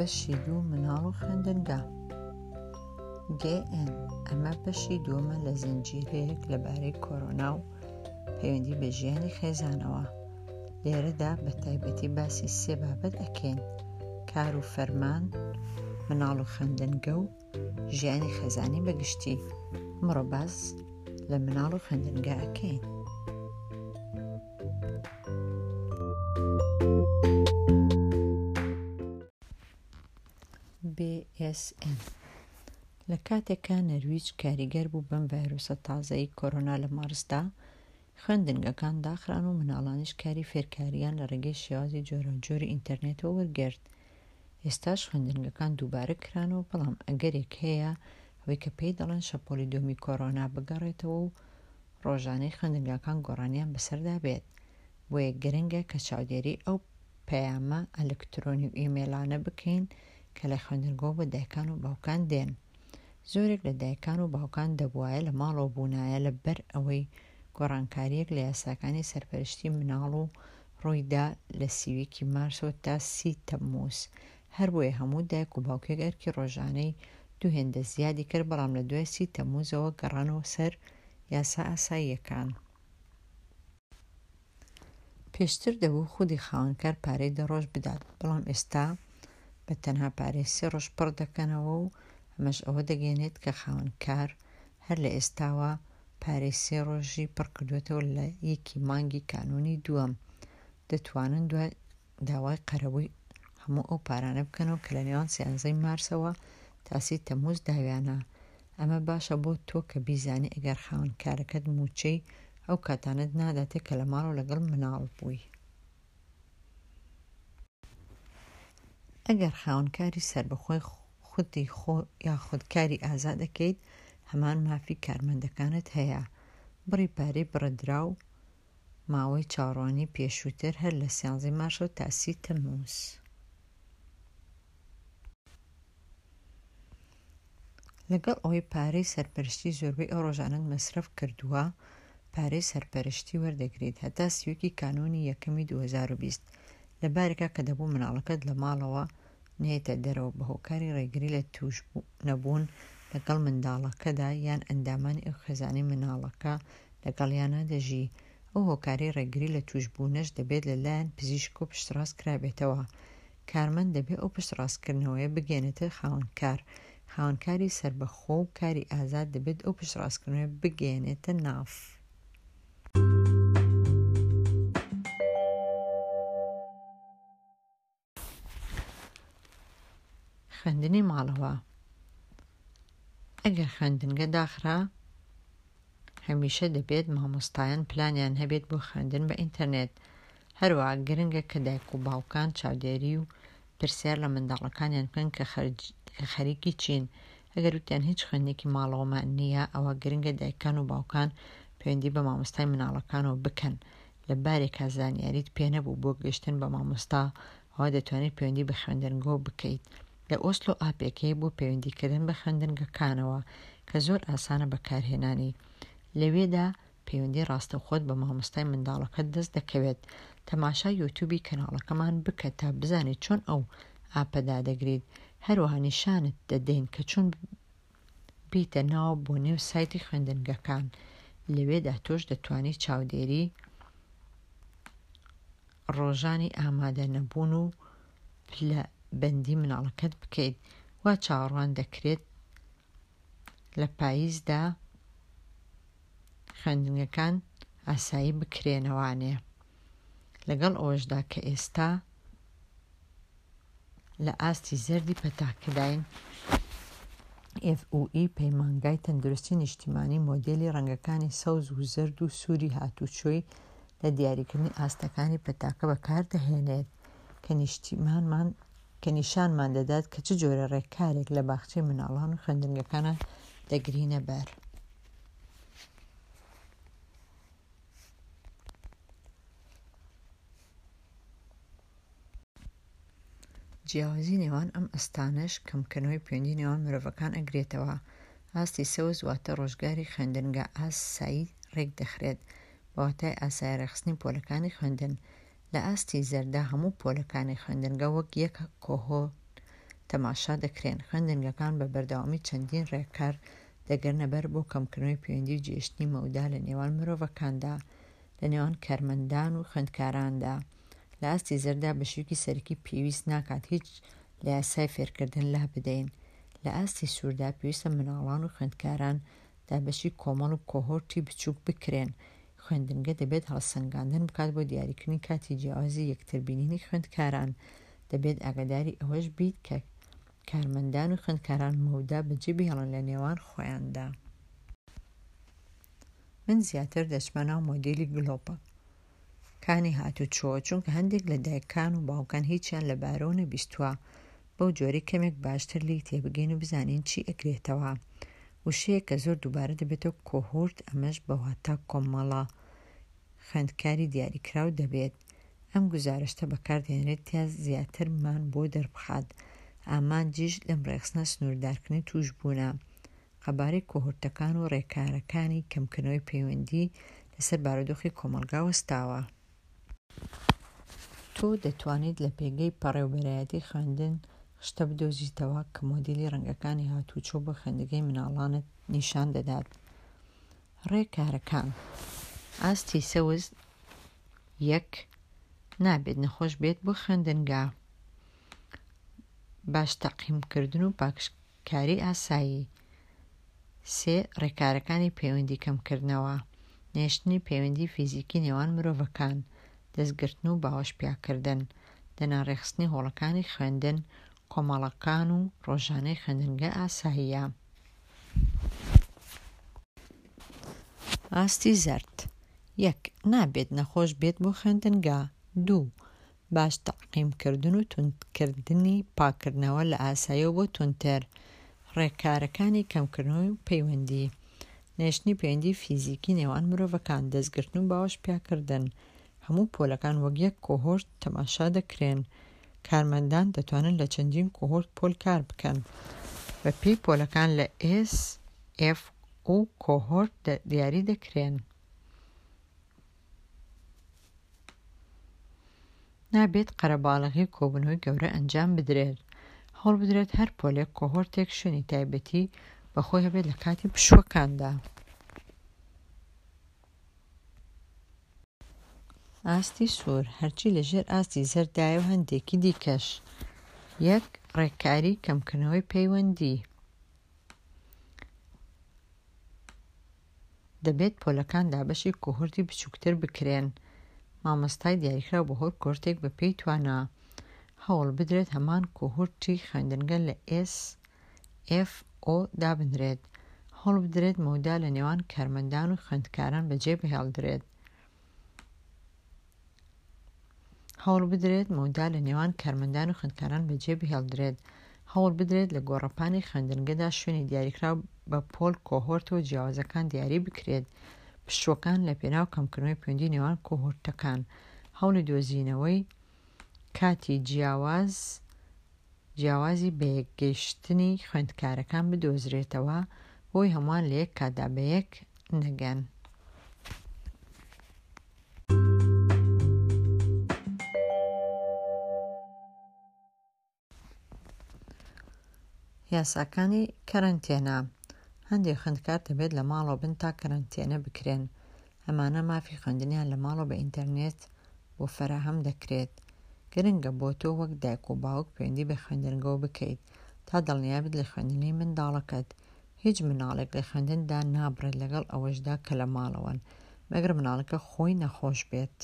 بەشی دوو مناڵ و خوێندنگا GN ئەمە بەشی دووەمە لە زنجیرەیەک لەبارەی کۆرۆنا و پەیوەندی بە ژیانی خێزانەوە لێرەدا بە تایبەتی باسی سێ بابەت ئەکەین کار و فەرمان مناڵ و خوێندنگە و ژیانی خێزانی بە گشتی ئەمڕۆ باس لە مناڵ و خوێندنگە ئەکەین. BSN لە کاتێکا نەرویج کاریگەر بوو بەم ڤایرۆسە تازەی کۆرۆنا لە مارسدا، خوێندنگەکان داخران و مناڵانیش کاری فێرکارییان لە ڕێگەی شێوازی جۆراوجۆری ئینتەرنێتەوە وەرگرت. ئێستاش خوێندنگەکان دووبارە کرانەوە، بەڵام ئەگەرێک هەیە ئەوەی کە پێی دەڵێن شەپۆلی دووەمی کۆرۆنا بگەڕێتەوە و ڕۆژانەی خوێندنگاکان گۆڕانیان بەسەردا بێت. بۆیە گرنگە کە چاودێری ئەو پەیامە ئەلکترۆنی و ئیمەیڵانە بکەین کە لە خوێندنگەوە بۆ دایکان و باوکان دێن. زۆرێک لە دایکان و باوکان دەبوایە لە ماڵەوە بوونایە لە بەر ئەوەی گۆڕانکارییەک لە یاساکانی سەرپەرشتی مناڵ و ڕووی دا لە 31 ی مارسەوە تا سی تەمموز هەربۆیە هەموو دایک و باوکێک ئەرکی ڕۆژانەی دوو هێندە زیادی کرد بەڵام لە دوای سی تەمموزەوە گەڕانەوە سەر یاسا ئاساییەکان. پێشتر دەبوو خودی خاوەنکار پارەی دە ڕۆژ بدات، بەڵام ئێستا بە تەنها پارەی سێ ڕۆژ پڕ دەکەنەوە و ئەمەش ئەوە دەگەیەنێت کە خاوەنکار هەر لە ئێستاوە پارەی سێ ڕۆژی پڕکردووەتەوە لە یەکی مانگی کانوونی دووەم دەتوانن دوای داوای قەرەبووی هەموو ئەو پارانە بکەنەوە کە لە نێوان سیانزەی مارسەوە تا سی تەمووز داویانە. ئەمە باشە بۆ تۆ کە بیزانی ئەگەر خاوەن کارەکەت مووچەی ئەو کاتانەت ناداتێ کە لە ماڵەوە لەگەڵ مناڵ بووی. ئەگەر خاوەن کاری سەربەخۆی خودی خۆ یاخود کاری ئازاد ئەکەیت هەمان مافی کارمەندەکانت هەیە. بڕی پارەی بڕدراو ماوەی چاوەڕوانی پێشووتر هەر لە سیانزەی مارسەوە تا سی تەمموز. لەگەڵ ئەوەی پارەی سەرپەرشتی زۆربەی ئەو ڕۆژانەت مەسرەف کردووە، پارەی سەرپەرشتی وەردەگریت هەتا 31 ی کانوونی یەکەمی 2020 لە بارێکا کە دەبوو مناڵەکەت لە ماڵەوە نەیەتە دەرەوە بە هۆکاری ڕێگری لە تووشنەبوون لەگەڵ منداڵەکەدا یان ئەندامانی ئەو خێزانەی مناڵەکە لەگەڵیانا دەژی، ئەو هۆکارەی ڕێگری لە تووشبوونەش دەبێت لە لایەن پزیشکەوە پشتڕاست کرابێتەوە. کارمەند دەبێ ئەو پشتڕاستکردنەوەیە بگەیەنێتە خاوەنکار. خاوەنکاری سەربەخۆ و کاری ئازاد دەبێت ئەو پشتڕاستکردنەوەیە بگەیەنێتە ناف. خوێندنی ماڵەوە ئەگەر خوێندنگە داخرا هەمیشە دەبێت مامۆستایان پلانیان هەبێت بۆ خوێندن بە ئینتەرنێت هەروەها گرنگە کە دایک و باوکان چاودێری و پرسیار لە منداڵەکانیان بکەن کە خەریکی چین ئەگەر وتیان هیچ خوێندنێکی ماڵەوەمان نییە ئەوە گرنگە دایکان و باوکان پەیوەندی بە مامۆستای مناڵەکانەوە بکەن لە بارێکا زانیاریت پێ نەبوو بۆ گەشتن بە مامۆستا ئەوا دەتوانیت پەیوەندی بە خوێندنگەوە بکەیت. لە ئۆسلۆ ئاپێک هەیە بۆ پەیوەندیکردن بە خوێندنگەکانەوە کە زۆر ئاسانە بەکارهێنانی. لەوێدا پەیوەندی ڕاستەوخۆت بە مامۆستای منداڵەکەت دەست دەکەوێت. تەماشای یوتوبی کەناڵەکەمان بکە تا بزانیت چۆن ئەو ئاپە دادەگریت. هەروەها نیشانت دەدەین کە چۆن بێیتە ناوە بۆ نێو سایتی خوێندنگەکان لەوێدا تۆش دەتوانی چاودێری ڕۆژانی ئامادە نەبوون و پلە بەندی مناڵەکەت بکەیت وا چاوەڕوان دەکرێت لە پاییزدا خوێندنگەکان ئاسایی بکرێنەوانێ لەگەڵ ئەوەشدا کە ئێستا لە ئاستی زەردی پەتاکەداین، FOE پەیمانگای تەندروستی نیشتیمانی مۆدێلی ڕەنگەکانی سەوز و زەرد و سووری هاتووچۆی لە دیاریکردنی ئاستەکانی پەتاکە بەکاردەهێنێت کە نیشتیمانمان کە نیشانمان دەدات کە چ جۆرە ڕێکارێک لە باخچەی مناڵان و خوێندنگەکانە دەگرینە بەر. جیاوازی نێوان ئەم ئەستانەش کەمکردنەوەی پەیوەندی نێوان مرۆڤەکان ئەگرێتەوە. ئاستی سەوز واتە ڕۆژگاری خوێندنگا ئاسایی ڕێکدەخرێت، بە واتای ئاسایی ڕێکخستنی پۆلەکانی خوێندن. لە ئاستی زەردا هەموو پۆلەکانی خوێندنگە وەک یەک کۆهۆرت تەماشا دەکرێن. خوێندنگەکان بە بەردەوامی چەندین ڕێکار دەگرنە بەر بۆ کەمکردنەوەی پەیوەندی و جێهێشتنی مەودا لە نێوان مرۆڤەکاندا، لە نێوان کارمەندان و خوێندکاراندا. لە ئاستی زەرددا بە شێوەیەکی سەرەکی پێویست ناکات هیچ لە یاسای فێرکردن لابدەین. لە ئاستی سووردا پێویستە منداڵان و خوێندکاران دابەشی کۆمەڵ و کۆهۆرتی بچووک بکرێن. خوێندنگە دەبێت هەڵسەنگاندن بکات بۆ دیاریکردنی کاتی جیاوازی یەکتربینینی خوێندکاران. دەبێت ئاگاداری ئەوەش بیت کە کارمەندان و خوێندکاران مەودا بەجێ بهێڵن لە نێوان خۆیاندا. من زیاتر دەچمە ناو مۆدێلی گلۆپەکانی هاتوچۆ، چونکە هەندێک لە دایکان و باوکان هیچیان لەبارەوە نەبیستووە، بەو جۆرەی کەمێک باشتر لێی تێبگەین و بزانین چی ئەگرێتەوە. وشەیەک کە زۆر دووبارە دەبێتەوە کۆهۆرت ئەمەش بە واتا کۆمەڵە خوێندکاری دیاریکراو دەبێت. ئەم گوزارشتە بەکاردەهێنرێت تا زیاترمان بۆ دەربخات. ئامانجیش لەم ڕێکخستنە سنووردارکردنی تووشبوونە. قەبارەی کۆهۆرتەکان و ڕێکارەکانی کەمکردنەوەی پەیوەندی لەسەر بارودۆخی کۆمەڵگا وەستاوە. تۆ دەتوانیت لە پێگەی پەڕێوبەرایەتی خوێندن خشتە بدۆزیتەوە کە مۆدێلی ڕەنگەکانی هاتووچۆ بۆ خوێندنگەی مناڵانت نیشان دەدات. ڕێکارەکان. ئاستی سەوز یەک، نابێت نەخۆش بێت بۆ خوێندنگا. باش تەعقیمکردن و پاکژکاری ئاسایی. سێ، ڕێکارەکانی پەیوەندی کەمکردنەوە، نەهێشتنی پەیوەندی فیزیکی نێوان مرۆڤەکان، دەستگرتن و باوەش پیاکردن، دەنا ڕێکخستنی هۆڵەکانی خوێندن، کۆمەڵەکان و ڕۆژانەی خوێندنگە ئاساییە. ئاستی زەرد، یەک، نابێت نەخۆش بێت بۆ خوێندنگا. دوو، باش تەعقیمکردن و توندکردنی پاککردنەوە لە ئاساییەوە بۆ توندتر، ڕێکارەکانی کەمکردنەوەی پەیوەندی، نەهێشتنی پەیوەندی فیزیکی نێوان مرۆڤەکان، دەستگرتن و باوەش پیاکردن، هەموو پۆلەکان وەک یەک کۆهۆرت تەماشا دەکرێن، کارمەندان دەتوانن لە چەندین کۆهۆرت پۆل کار بکەن، بە پێی پۆلەکان لە ئێس، ئێف و کۆهۆرت دیاری دەکرێن. نابێت قەرەباڵغی و کۆبوونەوەی گەورە ئەنجام بدرێت. هەوڵبدرێت هەر پۆلێک کۆهۆرتێک شوێنی تایبەتی بە خۆی هەبێت لە کاتی پشووەکاندا. ئاستی سوور، هەرچی لە ژێر ئاستی زەرددایە و هەندێکی دیکەش. یەک، ڕێککاری کەمکردنەوەی پەیوەندی. دەبێت پۆلەکان دابەشی کۆهۆرتی بچووکتر بکرێن، مامۆستای دیاریکراو بۆ هەر کۆهۆرتێک بەپێی توانا. هەوڵ بدرێت هەمان کۆهۆرتی خوێندنگە لە ئێس ئێف ئۆ دابنرێت. هەوڵ بدرێت مەودا لە نێوان کارمەندان و خوێندکاران بەجێ بهێڵدرێت. هەوڵ بدرێت مەودا لە نێوان کارمەندان و خوێندکاران بەجێ بهێڵدرێت. هەوڵ بدرێت لە گۆڕەپانی خوێندنگەدا شوێنی دیاریکراو بە پۆل کۆهۆرتە جیاوازەکان دیاری بکرێت. پشووەکان لە پێناو کەمکردنەوەی پەیوەندی نێوان کۆهۆرتەکان. هەوڵی دۆزینەوەی کاتی جیاواز جیاوازی بەیەکگەیشتنی خوێندکارەکان بدۆزرێتەوە بۆی هەمووان لە یەک کاتدا بەیەک نەگەن. یاساکانی کەرەنتێنە، هەندێک خوێندکار دەبێت لە ماڵەوە بن تا کەرەنتێنە بکرێن، ئەمانە مافی خوێندنیان لە ماڵەوە بە ئینتەرنێت بۆ فەراهەم دەکرێت. گرنگە بۆ تۆ وەک دایک و باوک پەیوەندی بە خوێندنگەوە بکەیت تا دڵنیابیت لە خوێندنی منداڵەکەت. هیچ مناڵێک لە خوێندن دانابڕێت لەگەڵ ئەوەشدا کە لە ماڵەوەن، مەگەر مناڵەکە خۆی نەخۆش بێت.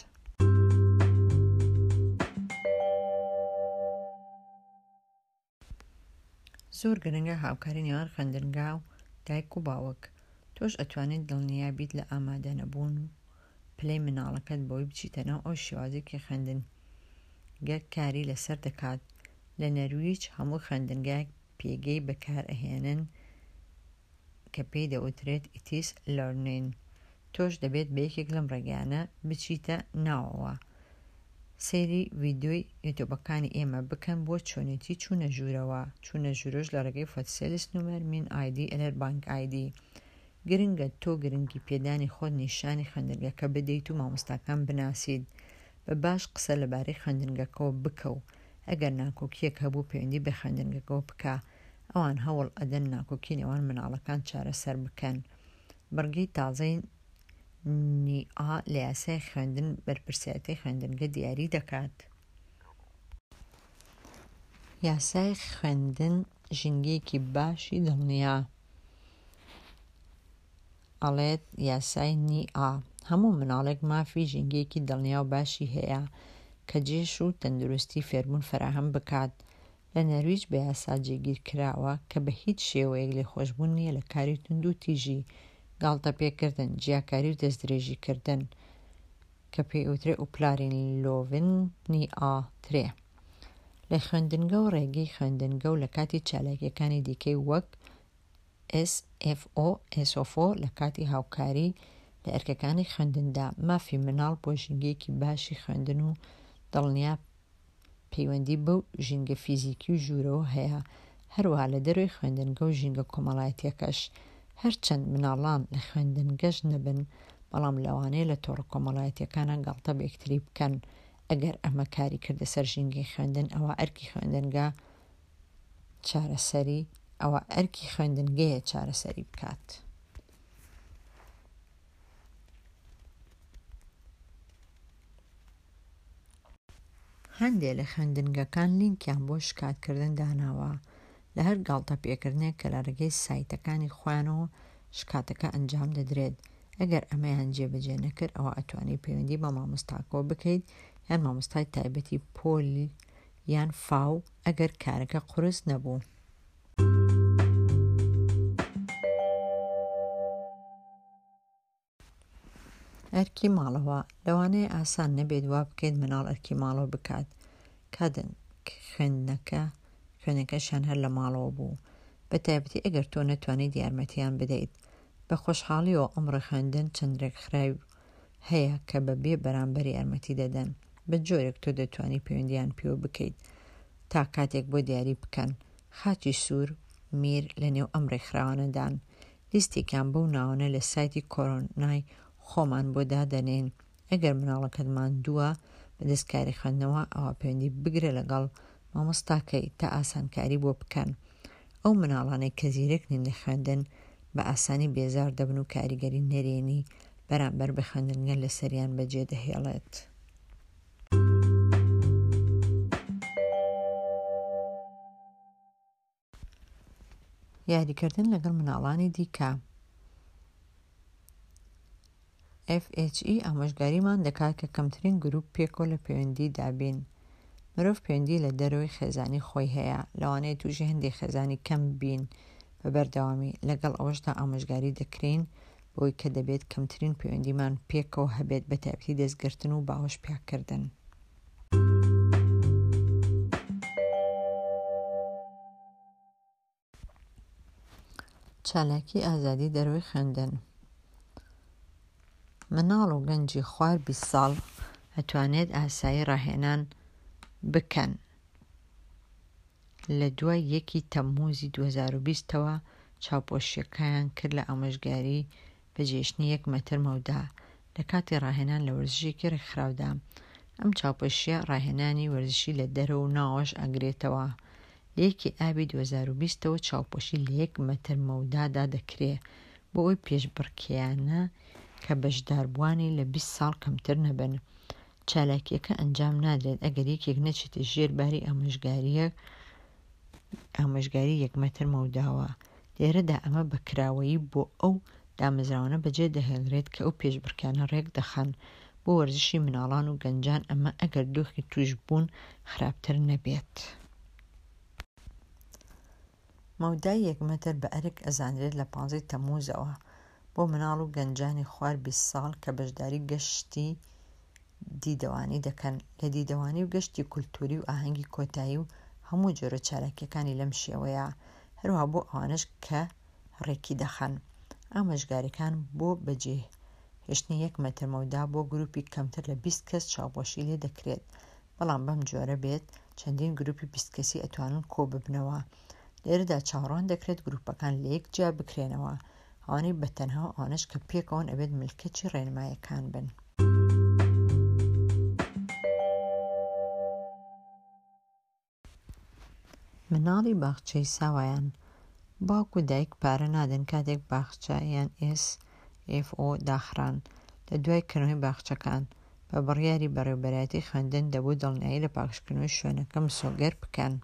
زۆر گرنگە هاوکاری نێوان خوێندنگا و دایک و باوک. تۆش ئەتوانیت دڵنیا بیت لە ئامادەنەبوون و پلەی مناڵەکەت بەوەی بچیتە ناو ئەو شێوازەی کە خوێندنگە کاری لەسەر دەکات. لە نەرویج هەموو خوێندنگایەک پێگەی بەکارئەهێنن کە پێی دەوترێت ئیتیس لەرنین تۆش دەبێت بە یەکێک لەم ڕێگایانە بچیتە ناوەوە. سەیری ڤیدیۆی یوتوبەکانی ئێمە بکەن بۆ چۆنێتی چوونە ژوورەوە، چوونە ژوورەوەش لە ڕێگەی فۆتسێلس نومەر مین ئایدی ئەلەر بانک ئایدی. گرنگە تۆ گرنگی پێدانی خۆت نیشانی خوێندنگەکە بدەیت و مامۆستاکان بناسیت. بە باش قسە لەبارەی خوێندنگەکەوە بکە و. ئەگەر ناکۆکییەک هەبوو پەیوەندی بە خوێندنگەکەوە بکە. ئەوان هەوڵ ئەدەن ناکۆکی نێوان مناڵەکان چارەسەر بکەن. بڕگەی تازەی نی-ئا لە یاسای خوێندن بەرپرسیارێتی خوێندنگە دیاری دەکات. یاسای خوێندن ژینگەیەکی باشی دڵنیا ئەڵێت یاسای نی-ئا هەموو مناڵێک مافی ژینگەیەکی دڵنیا و باشی هەیە کە جێش و تەندروستی فێربوون فەراهەم بکات. لە نەرویج بە یاسا جێگیر کراوە کە بە هیچ شێوەیەک لێخۆشبوون نییە لە کاری توندوتیژی، گاڵتەپێکردن، جیاکاری و دەستدرێژیکردن کە پێی ئەوترێ ئوپلارینلۆڤن نی ئا ترێ لە خوێندنگە و ڕێگەی خوێندنگە و لە کاتی چالاکییەکانی دیکەی وەک SFO ئێسۆفۆ لە کاتی هاوکاری لە ئەرکەکانی خوێندندا. مافی مناڵ بۆ ژینگەیەکی باشی خوێندن و دڵنیا پەیوەندی بەو ژینگە فیزیکی و ژوورەوە هەیە، هەروەها لە دەرەوەی خوێندنگە و ژینگە کۆمەڵایەتییەکەش. هەرچەند مناڵان لە خوێندنگەش نەبن، بەڵام لەوانەیە لە تۆڕە کۆمەڵایەتییەکانا گاڵتە بە یەکتری بکەن. ئەگەر ئەمە کاری کردە سەر ژینگەی خوێندن، ئەوا ئەرکی خوێندنگە چارەسەری ئەوا ئەرکی خوێندنگەیە چارەسەری بکات. هەندێ لە خوێندنگەکان لینکیان بۆ شکاتکردن داناوە لە هەر گاڵتەپێکردنێک کە لە ڕێگەی سایتەکانی خۆیانەوە شکاتەکە ئەنجام دەدرێت، ئەگەر ئەمەیان جێبەجێ نەکرد ئەوا ئەتوانی پەیوەندی بە مامۆستاکەوە بکەیت یان مامۆستای تایبەتی پۆل یان فاو ئەگەر کارەکە قورس نەبوو. ئەرکی ماڵەوە، لەوانەیە ئاسان نەبێت وا بکەیت مناڵ ئەرکی ماڵەوە بکات کاتێک خوێندنەکە خوێندنەکەشیان هەر لە ماڵەوە بوو، بە تایبەتی ئەگەر تۆ نەتوانیت یارمەتیان بدەیت. بە خۆشحاڵیەوە ئەمڕۆ خوێندن چەند رێکخراو هەیە کە بە بێ بەرامبەر یارمەتی دەدەن، بە جۆرێک تۆ دەتوانی پەیوەندیان پێوە بکەیت تا کاتێک بۆ دیاری بکەن. خاچی سوور، میر لە نێو ئەم رێکخراوانەدان. لیستێکیان بەو ناوانە لە سایتی کۆرۆنای خۆمان بۆ دادەنێین، ئەگەر مناڵەکەت ماندووە بەدەست کاری خوێندنەوە ئەوا پەیوەندی بگرە لەگەڵ مامۆستاکەی تا ئاسانکاری بۆ بکەن. ئەو مناڵانەی کە زیرەک نین لە خوێندن بە ئاسانی بێزار دەبن و کاریگەری نەرێنی بەرامبەر بە خوێندنگە لەسەریان بەجێ دەهێڵێت. یاریکردن لەگەڵ مناڵانی دیکە. FHE ئامۆژگاریمان دەکات کە کەمترین گروپ پێکەوە لە پەیوەندیدا بین. مرۆڤ پەیوەندی لە دەرەوەی خێزانی خۆی هەیە، لەوانەیە تووشی هەندێک خێزانی کەم بین بە بەردەوامی، لەگەڵ ئەوەشدا ئامۆژگاری دەکرێین بەوەی کە دەبێت کەمترین پەیوەندیمان پێکەوە هەبێت بەتایبەتی دەستگرتن و باوەش پیاکردن. چالاکی ئازادی دەرەوەی خوێندن مناڵ و گەنجی خوار 20 ساڵ ئەتوانێت ئاسایی ڕاهێنان بکەن لە دوای یەکی تەمموزی 2020 ەوە چاوپۆشیەکەیان کرد لە ئامۆژگاری بەجێهێشتنی یەک مەتر مەودا لە کاتی ڕاهێنان لە وەرزشێکی ڕێکخراودا. ئەم چاوپۆشییە ڕاهێنانی وەرزشی لە دەرەوە و ناوەوەش ئەگرێتەوە. لە یەکی ئابی 2020 ەوە چاوپۆشی لە یەک مەتر مەودادا دەکرێ بۆ ئەوی پێشبڕکێیانە کە بەشداربووانی لە 20 ساڵ کەمتر نەبن. چالاکییەکە ئەنجام نادرێت ئەگەر یەکێک نەچێتە ژێر باری ئامۆژگارییەک ئامۆژگاری یەک مەتر مەوداوە. لێرەدا ئەمە بە کراوەیی بۆ ئەو دامەزراوانە بەجێ دەهێڵرێت کە ئەو پێشبڕکێیانە ڕێکدەخەن بۆ وەرزشی مناڵان و گەنجان ئەمە ئەگەر دۆخی تووشبوون خراپتر نەبێت. مەودای یەک مەتر بە ئەرک ئەزانرێت لە پانزەی تەمموزەوە بۆ مناڵ و گەنجانی خوار 20 ساڵ کە بەشداری گەشتی دیدەوانی دەکەن لە دیدەوانی و گەشتی کولتوری و ئاهەنگی کۆتایی و هەموو جۆرە چالاکیەکانی لەم شێوەیە هەروەها بۆ ئەوانەش کە ڕێکی دەخەن. ئامۆژگاریەکان بۆ بەجێ هێشتنی یەک مەتر مەودا بۆ گروپی کەمتر لە 20 کەس چاوپۆشی لێ دەکرێت بەڵام بەم جۆرە بێت چەندین گروپی 20 کەسی ئەتوانن کۆببنەوە لێرەدا چاوەڕوان دەکرێت گروپەکان لەیەک جیا بکرێنەوە ئەوانەی بە تەنها و ئەوانەش کە پێکەوەن ئەبێت ملکەچی ڕێنمایەکان بن. مناڵی باخچەی ساوایان، باوک و دایک پارە نادەن کاتێک باخچە یان ئێس ئێف ئۆ داخران. لە دوای کردنەوەی باخچەکان، بە بڕیاری بەڕێوەبەرایەتی خوێندن دەبوو دڵنیایی لە پاکژکردنەوەی شوێنەکە مسۆگەر بکەن.